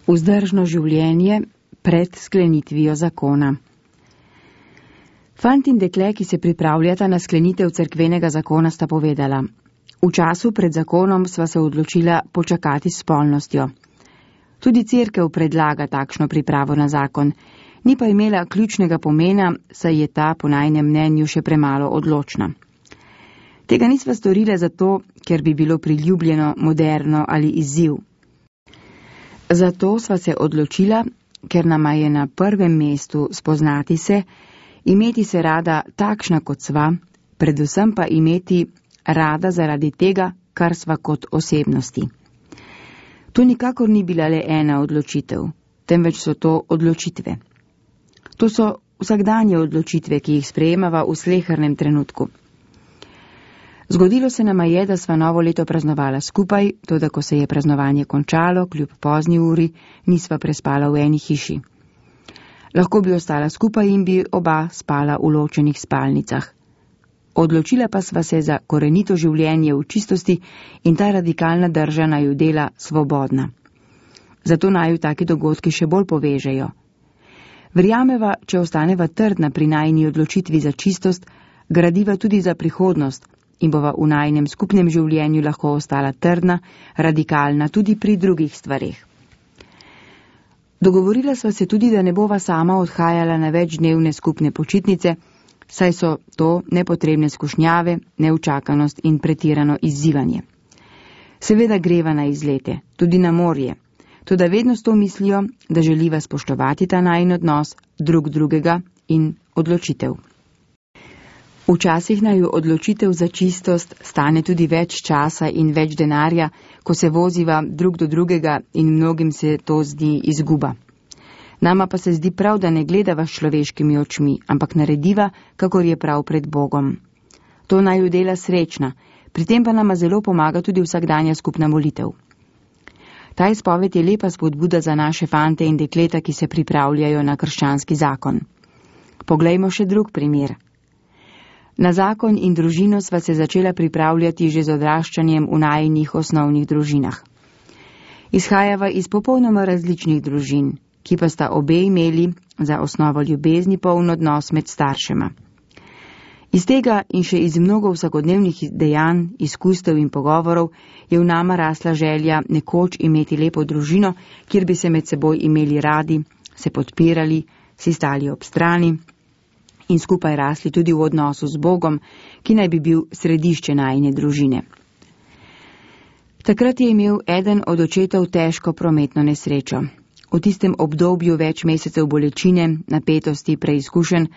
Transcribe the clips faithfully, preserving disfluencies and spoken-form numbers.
Vzdržno življenje pred sklenitvijo zakona. Fant in dekle, ki se pripravljata na sklenitev cerkvenega zakona, sta povedala: v času pred zakonom sva se odločila počakati s spolnostjo. Tudi cerkev predlaga takšno pripravo na zakon, ni pa imela ključnega pomena, saj je ta po najinem mnenju še premalo odločna. Tega nisva storile zato, ker bi bilo priljubljeno, moderno ali izziv. Zato sva se odločila, ker nama je na prvem mestu spoznati se, imeti se rada takšna, kot sva, predvsem pa imeti rada zaradi tega, kar sva kot osebnosti. To nikakor ni bila le ena odločitev, temveč so to odločitve. To so vsakdanje odločitve, ki jih sprejemava v slehernem trenutku. Zgodilo se nama je, da sva novo leto praznovala skupaj, toda ko se je praznovanje končalo, kljub pozni uri, nisva prespala v eni hiši. Lahko bi ostala skupaj in bi oba spala v ločenih spalnicah. Odločila pa sva se za korenito življenje v čistosti in ta radikalna drža naju dela svobodna. Zato naju taki dogodki še bolj povežejo. Verjameva, če ostaneva trdna pri najini odločitvi za čistost, gradiva tudi za prihodnost in bova v najinem skupnem življenju lahko ostala trdna, radikalna tudi pri drugih stvareh. Dogovorila sva se tudi, da ne bova sama odhajala na večdnevne skupne počitnice, saj so to nepotrebne skušnjave, neučakanost in pretirano izzivanje. Seveda greva na izlete, tudi na morje, toda vedno s to mislijo, da želiva spoštovati ta najin odnos drug drugega in odločitev. Včasih naju odločitev za čistost stane tudi več časa in več denarja, ko se voziva drug do drugega in mnogim se to zdi izguba. Nama pa se zdi prav, da ne gledava s človeškimi očmi, ampak narediva, kakor je prav pred Bogom. To naju dela srečna, pri tem pa nama zelo pomaga tudi vsakdanja skupna molitev. Ta izpoved je lepa spodbuda za naše fante in dekleta, ki se pripravljajo na krščanski zakon. Poglejmo še drug primer. Na zakon in družino sva se začela pripravljati že z odraščanjem v najinih osnovnih družinah. Izhajava iz popolnoma različnih družin, ki pa sta obe imeli za osnovo ljubezni poln odnos med staršema. Iz tega in še iz mnogo vsakodnevnih dejanj, izkustev in pogovorov je v nama rasla želja nekoč imeti lepo družino, kjer bi se med seboj imeli radi, se podpirali, si stali ob strani in skupaj rasli tudi v odnosu z Bogom, ki naj bi bil središče najine družine. Takrat je imel eden od očetov težko prometno nesrečo. V tistem obdobju več mesecev bolečine, napetosti, preizkušenj,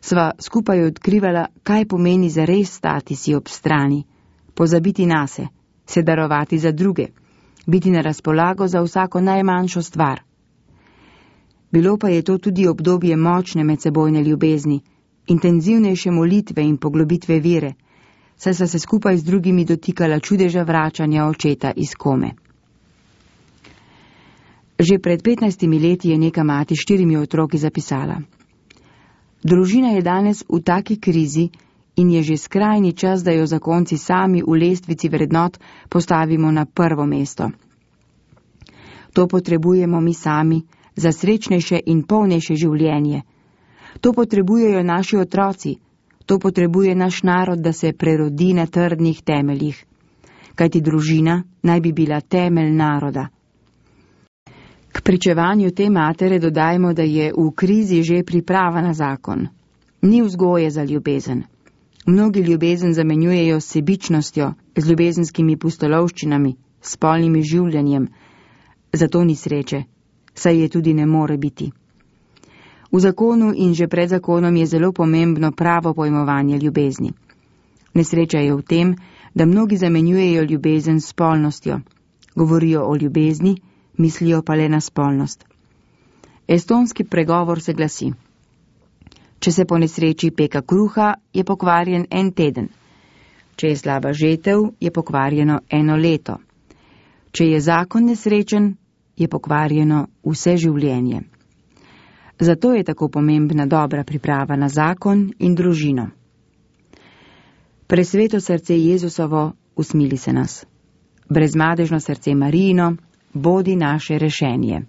sva skupaj odkrivala, kaj pomeni zares stati si ob strani, pozabiti nase, se darovati za druge, biti na razpolago za vsako najmanjšo stvar. Bilo pa je to tudi obdobje močne medsebojne ljubezni, intenzivnejše molitve in poglobitve vere, saj sta se skupaj z drugimi dotikala čudeža vračanja očeta iz kome. Že pred petnajstimi leti je neka mati s štirimi otroki zapisala: družina je danes v taki krizi in je že skrajni čas, da jo zakonci sami v lestvici vrednot postavimo na prvo mesto. To potrebujemo mi sami za srečnejše in polnejše življenje. To potrebujejo naši otroci, to potrebuje naš narod, da se prerodi na trdnih temeljih, kajti družina naj bi bila temelj naroda. K pričevanju te matere dodajmo, da je v krizi že priprava na zakon. Ni vzgoje za ljubezen. Mnogi ljubezen zamenjujejo s sebičnostjo, z ljubezenskimi pustolovščinami, s spolnim življenjem. Zato ni sreče, saj je tudi ne more biti. V zakonu in že pred zakonom je zelo pomembno pravo pojmovanje ljubezni. Nesreča je v tem, da mnogi zamenjujejo ljubezen s spolnostjo. Govorijo o ljubezni, mislijo pa le na spolnost. Estonski pregovor se glasi: če se po nesreči peka kruha, je pokvarjen en teden. Če je slaba žetev, je pokvarjeno eno leto. Če je zakon nesrečen, je pokvarjeno vse življenje. Zato je tako pomembna dobra priprava na zakon in družino. Presveto srce Jezusovo, usmili se nas. Brezmadežno srce Marijino, bodi naše rešenje.